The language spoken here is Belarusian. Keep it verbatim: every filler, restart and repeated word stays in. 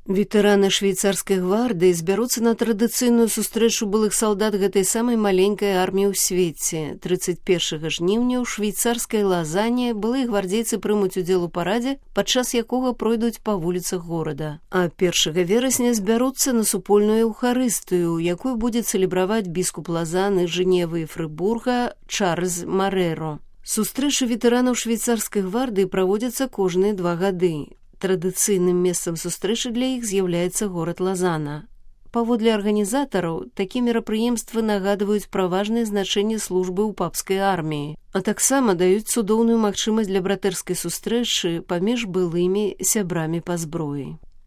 Ветэраны швейцарскай гвардыі збяруцца на традыцыйную сустрэчу былых салдат гэтай самай маленькай арміі ў свеце. трыццаць першага жніўня ў швейцарскай Лазане былыя гвардзейцы прымуць удзел у парадзе, падчас якога пройдуць па вуліцах горада. А першага верасня збяруцца на супольную эўхарыстыю, якую будзе цэлебраваць біскуп Лазаны, Жэневы і Фрыбурга Чарльз Марэро. Сустрэчы ветэранаў швейцарскай гвардыі праводзяцца кожныя два гады. Традыцыйным месцам сустрэчы для іх з'яўляецца горад Лазана. Паводле арганізатараў, такія мерапрыемствы нагадваюць пра важнае значэнне службы ў папскай арміі, а таксама даюць цудоўную магчымасць для братэрскай сустрэчы паміж былымі сябрамі па зброі.